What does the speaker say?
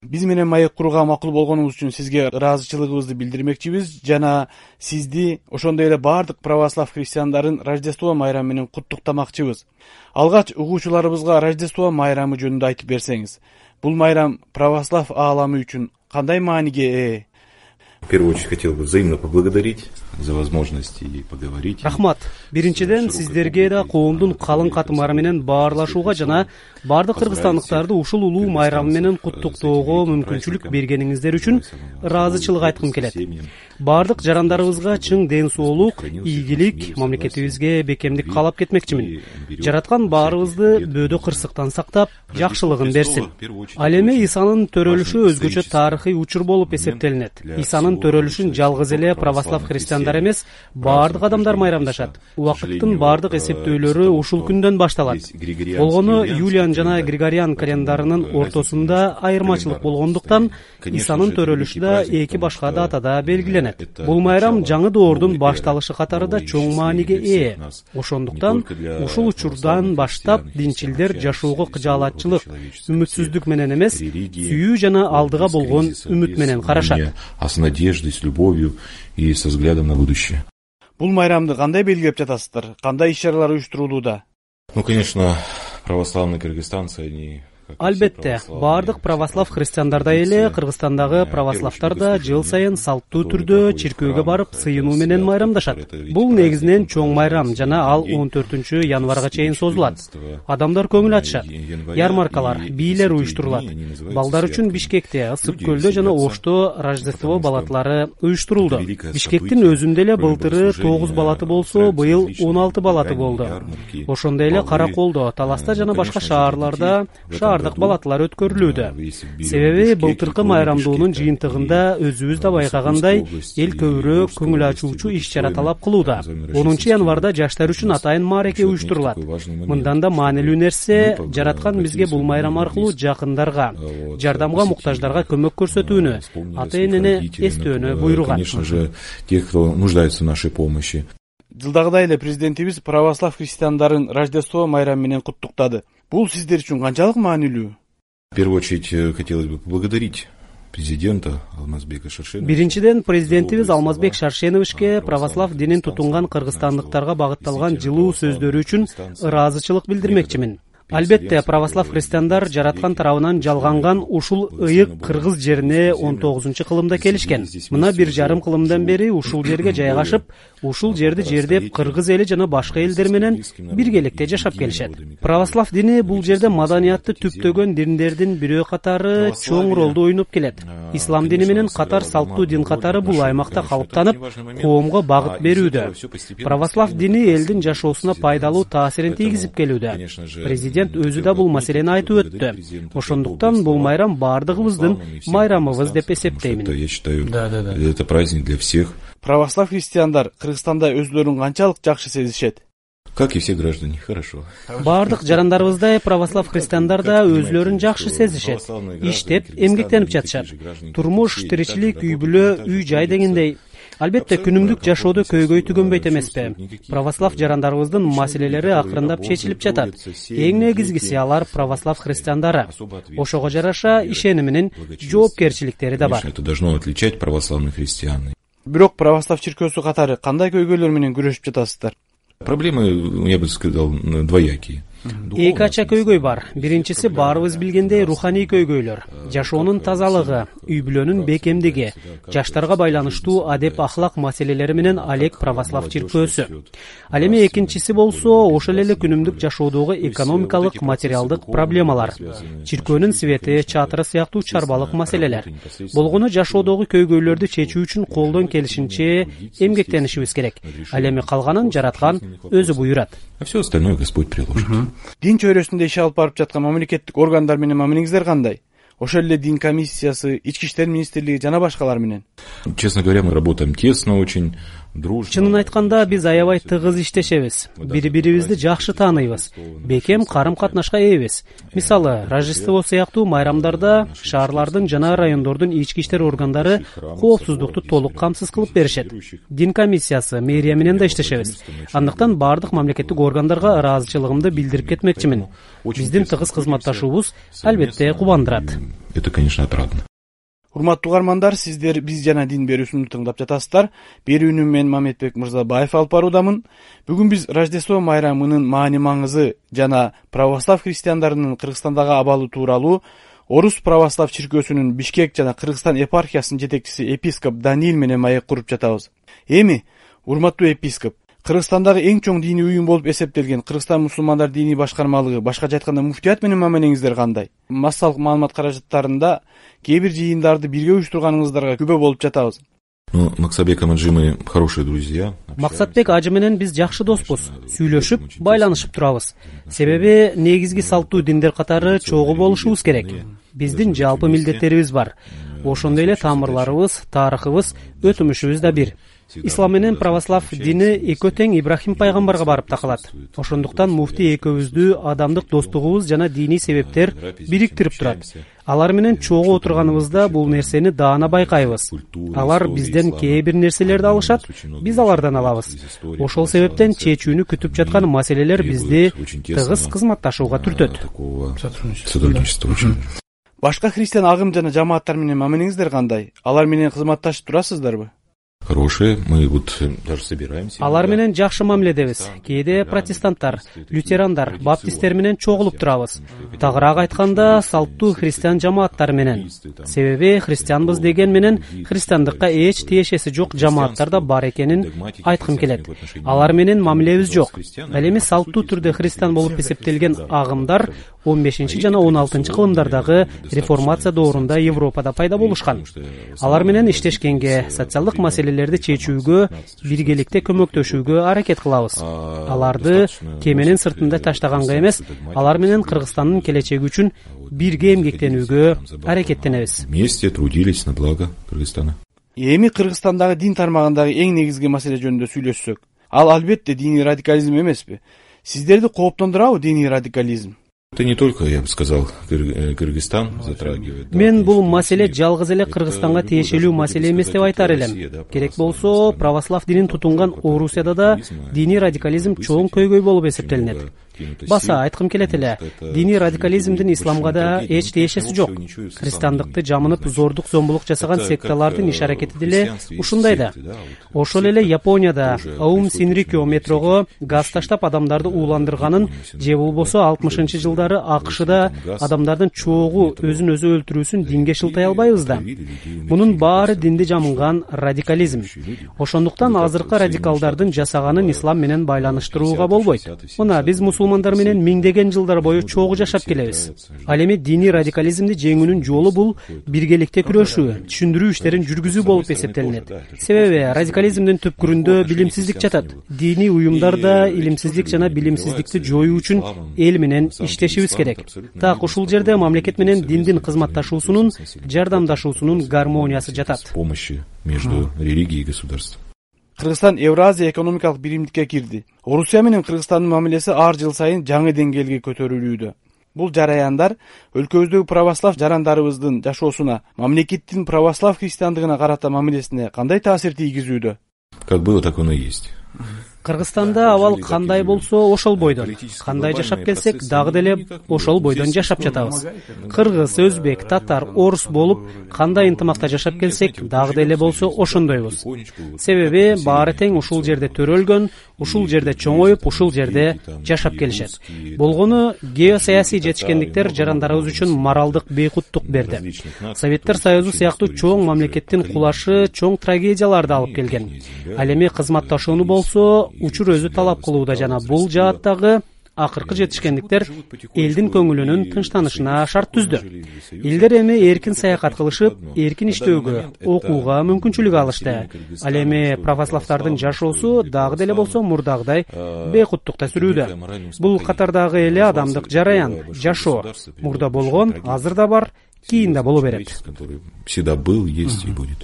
Биз менен маек курууга макул болгонуңуз үчүн сизге ыраазычылыгыбызды билдирмекчибиз жана сизди ошондой эле баардык православ христиандарын Рождество майрамы менен куттуктамакчыбыз. Алгач угуучуларыбызга Рождество майрамы жөнүндө айтып берсеңиз, бул майрам православ ааламы үчүн кандай мааниге ээ? В первую очередь хотел бы взаимно поблагодарить за возможность и поговорить. Рахмат. Биринчиден сиздерге да коомдун калың катмары менен баарлашууга жана бардык кыргызстандыктарды ушул улуу майрам менен куттуктоого мүмкүнчүлүк бергениңиздер үчүн ыраазычылык айткым келет. Бардык жарандарыбызга чың ден соолук, ийгилик, мамлекетибизге бекемдик каалап кетмекчимин. Жараткан баарыбызды бөөдө кырсыктан сактап, жакшылыгын берсин. Ал эми Исанын төрөлүшү өзгөчө тарыхый учур болуп эсептелинет. Исанын төрөлүшүн жалгыз эле православ христиандар эмес, бардык адамдар майрамдашат. Убакыттын бардык эсептөөлөрү ушул күндөн башталат. Болгону Юлиан жана Григориан календарынын ортосунда айырмачылык болгондуктан Исанын төрөлүшү да эки башка датада белгиленет. Бул майрам жаңы доордун башталышы катарында чоң мааниге ээ. Ошондуктан ушул учурдан баштап динчилдер жашоого кыжаалатчылык, үмүтсүздүк менен эмес, сүйүү жана алдыга болгон үмүт менен карашат. А с надеждой, с любовью и со взглядом на будущее. Бул майрамды кандай белгилеп жатасыздар? Кандай иш-чаралар уюштурулууда? Ну, конечно, православные кыргызстанцы, они... Албетте, бардык православ христиандардай эле Кыргызстандагы православдар да жыл сайын салттуу түрдө чиркөөгө барып сыйынуу менен майрамдашат. Бул негизинен чоң майрам жана ал 14 январга чейин созулат. Адамдар көңүл ачышат. Ярмаркалар, бийлер уюштурулат. Балдар үчүн Бишкекте, Ысык көлдө жана Ошто Рождество балатлары уюштурулду. Бишкектин өзүндө эле былтыры 9 балаты болсо, быйыл 16 балаты болду. Ошондой эле Караколдо, Таласта жана башка шаарларда балатлар өткөрүлүүдө. Себеби былтыркы майрамдоонун жыйынтыгында өзүбүз да байкагандай эл көбүрөөк көңүл ачуучу иш-чара талап кылууда. 10 январда жаштар үчүн атайын маареке уюштурулат. Мындан да маанилүү нерсе, жараткан бизге бул майрам аркылуу жакындарга, жардамга муктаждарга көмөк көрсөтүүнү, ата-энени эстөөнү буйруган. Конечно же, тех, кто нуждается в нашей помощи. Жылдагыдай эле президентибиз православ христиандарын Рождество майрамы менен куттуктады. Бул сиздер үчүн канчалык маанилүү? В первую очередь хотелось бы поблагодарить президента Алмазбека Шаршеновича. Биринчиден президентибиз Алмазбек Шаршеновичке православ динин тутунган кыргызстандыктарга багытталган жылуу сөздөрү үчүн ыраазычылык билдирмекчимин. Албетте, православ христиандар жараткан тарабынан жалганган ушул ыйык кыргыз жерине 19-кылымда келишкен. Мына 1,5 кылымдан бери ушул жерге жайгашып, ушул жерди жердеп кыргыз эли жана башка элдер менен биргеликте жашап келишет. Православ дини бул жерде маданиятты түптөгөн диндердин бирөө катары чоң ролду ойноп келет. Ислам дини менен катар салттуу дин катары бул аймакта калыптанып, коомго багыт берүүдө. Православ дини элдин жашоосуна пайдалуу таасирин тийгизип келүүдө. Президент өзү да бул маселени айтып өттү. Ошондуктан бул майрам бардыгыбыздын майрамыбыз деп эсептеймин. Я считаю, это праздник для всех. Православ христиандар Кыргызстанда өзүлөрүн канчалык жакшы сезишет? Как и все граждане, хорошо. Бардык жарандарыбыздай православ христиандар да өзүлөрүн жакшы сезишет. Иштеп, эмгектенип жатышат. Турмуш, тиричилик, үй-бүлө, үй-жай дегендей. Албетте, күнүмдүк жашоодо көйгөй түгөнбөйт эмеспи. Православ жарандарыбыздын маселелери акырындап чечилип жатат. Эң негизгиси алар православ христиандары. Ошого жараша ишениминин жоопкерчиликтери да бар. Это должно отличать православных христиан. Бирок православ чиркөөсү катары кандай көйгөйлөр менен күрөшүп жатасыздар? Проблемы, я бы сказал, двоякие. Эки ача көйгөй бар. Биринчиси баарыбыз билгендей руханий көйгөйлөр. Жашоонун тазалыгы, үй-бүлөнүн бекемдиги, жаштарга байланыштуу адеп ахлак маселелери менен алек православ чиркөөсү. Ал эми экинчиси болсо ошол эле күнүмдүк жашоодогу экономикалык, материалдык проблемалар. Чиркөөнүн свети, чатыры сыяктуу чарбалык маселелер. Болгону жашоодогу көйгөйлөрдү чечүү үчүн колдон келишинче эмгектенишибиз керек. Ал эми калганын жараткан өзү буйрат. А все остальное Господь приложит. Дин чөйрөсүндө иш алып барып жаткан мамлекеттик органдар менен мамилеңиздер кандай? Ошол эле дин комиссиясы, ички иштер министрлиги жана башкалар менен? Честно говоря, мы работаем тесно очень. Чынын айтканда биз аябай тыгыз иштешебиз. Бири-бирибизди жакшы тааныйбыз. Бекем карым-катнашка ээбиз. Мисалы, Рождество сыяктуу майрамдарда шаарлардын жана райондордун ички иштер органдары коопсуздукту толук камсыз кылып беришет. Дин комиссиясы, мэрия менен да иштешебиз. Андыктан бардык мамлекеттик органдарга ыраазычылыгымды билдирип кетмекчимин. биздин тыгыз кызматташуубуз албетте кубандырат. Это, конечно, отрадно. Урматтуу угармандар, сиздер биз жана дин берүүсүнү тыңдап жатасыздар. Берүүнү мен Мамедбек Мырзабаев алып баруудамын. Бүгүн биз Рождество майрамынын маани маңызы жана православ христиандарынын Кыргызстандагы абалы тууралуу Орус православ чиркөөсүнүн Бишкек жана Кыргызстан епархиясынын жетекчиси епископ Даниил менен маек куруп жатабыз. Эми, урматтуу епископ, Кыргызстандагы эң чоң диний уюм болуп эсептелген Кыргызстан мусулмандар диний башкармалыгы, башкача айтканда муфтият менен мамилеңиздер кандай? Массалык маалымат каражаттарында кээ бир жыйындарды бирге уюштурганыңыздарга күбө болуп жатабыз. Максатбек Амаджи мы хорошие друзья. Максатбек ажы менен биз жакшы доспуз, сүйлөшүп, байланышып турабыз. Себеби негизги салттуу диндер катары чогуу болушубуз керек. Биздин жалпы милдеттерибиз бар. Ошондой эле тамырларыбыз, тарыхыбыз, өтүмүшүбүз да бир. Ислам менен православ дини экөө тең Ибрахим пайгамбарга барып такалат. Ошондуктан муфти экөөбүздү адамдык достугубуз жана диний себептер бириктирип турат. Алар менен чогуу отурганыбызда бул нерсени даана байкайбыз. Алар бизден кээ бир нерселерди алышат, биз алардан алабыз. Ошол себептен чечүүнү күтүп жаткан маселелер бизди тыгыз кызматташууга түртөт. Башка христиан агым жана жамааттар менен мамилеңиздер кандай? Алар менен кызматташып турасыздарбы? Хорошие, мы вот даже собираемся. Алар менен жакшы мамиледебиз. Кээде протестанттар, лютерандар, баптисттер менен чогулуп турабыз. Тагыраак айтканда, салттуу христиан жамааттар менен. Себеби христианбыз деген менен христиандыкка эч тиешеси жок жамааттар да бар экенин айткым келет. Алар менен мамилебиз жок. Ал эми салттуу түрдө христиан болуп эсептелген агымдар 15 жана 16 кылымдардагы реформация доорунда Европада пайда болушкан. Алар менен иштешкенге, социалдык маселелерди чечүүгө, биргеликте көмөктөшүүгө аракет кылабыз. Аларды кеменин сыртында таштаганга эмес, алар менен Кыргызстандын келечеги үчүн бирге эмгектенүүгө аракеттенебиз. Вместе трудились на благо Кыргызстана. Эми Кыргызстандагы дин тармагындагы эң негизги маселе жөнүндө сүйлөшсөк, ал албетте диний радикализм эмеспи? Сиздерди кооптондурабы диний радикализм? Это не только, я бы сказал, Кыргызстан затрагивает. Мен бул маселе жалгыз эле Кыргызстанга тиешелүү маселе эмес деп айтар элем. Керек болсо, православ динин тутунган Орусияда да диний радикализм чоң көйгөй болуп эсептелинет. Баса айткым келет эле, диний радикализмдин исламга да эч тиешеси жок. Христиандыкты жамынып зордук зомбулук жасаган секталардын иш аракети деле ушундай да. Ошол эле Японияда Аум Синрикё метрого газ таштап адамдарды ууландырганын же болбосо 60-жылдары АКШда адамдардын чогуу өзүн өзү өлтүрүүсүн динге шылтай албайбыз да. Мунун баары динди жамынган радикализм. Ошондуктан азыркы радикалдардын жасаганын ислам менен байланыштырууга болбойт. Мына биз мусулмандар менен миңдеген жылдар бою чогуу жашап келебиз. Ал эми диний радикализмди жеңүүнүн жолу бул биргеликте күрөшүү, түшүндүрүү иштерин жүргүзүү болуп эсептелинет. Себеби радикализмдин түпкүрүндө билимсиздик жатат. Диний уюмдарда илимсиздик жана билимсиздикти жоюу үчүн эл менен иштешибиз керек. Так ушул жерде мамлекет менен диндин кызматташуусунун, жардамдашуусунун гармониясы жатат. Помощи между религией и государством. Кыргызстан Евразия экономикалык биримдикке кирди. Орусия менен Кыргызстандын мамилеси ар жыл сайын жаңы деңгээлге көтөрүлүүдө. Бул жараяндар өлкөбүздөгү православ жарандарыбыздын жашоосуна, мамлекеттин православ христиандыгына карата мамилесине кандай таасир тийгизүүдө? Как было, так оно и есть. Кыргызстанда абал кандай болсо ошол бойдон, кандай жашап келсек дагы деле ошол бойдон жашап жатабыз. Кыргыз, өзбек, татар, орус болуп кандай ынтымакта жашап келсек дагы деле болсо ошондойбуз. Себеби баары тең ушул жерде төрөлгөн, ушул жерде чоңоюп, ушул жерде жашап келишет. Болгону геосаясий жетишкендиктер жарандарыбыз үчүн моралдык бейкуттук берди. Советтер Союзу сыяктуу чоң мамлекеттин кулашы чоң трагедияларды алып келген. Ал эми кызматташууну болсо учур өзү талап кылууда жана бул жааттагы акыркы жетишкендиктер элдин көңүлүнүн тынчтанышына шарт түздү. Элдер эми эркин саякат кылышып, эркин иштөөгө, окууга мүмкүнчүлүк алышты. Ал эми православдардын жашоосу дагы деле болсо мурдагыдай бейкуттукта сүрүүдө. Бул катардагы эле адамдык жараян, жашоо. Мурда болгон, азыр да бар, кийин да боло берет. Всегда был, есть и будет.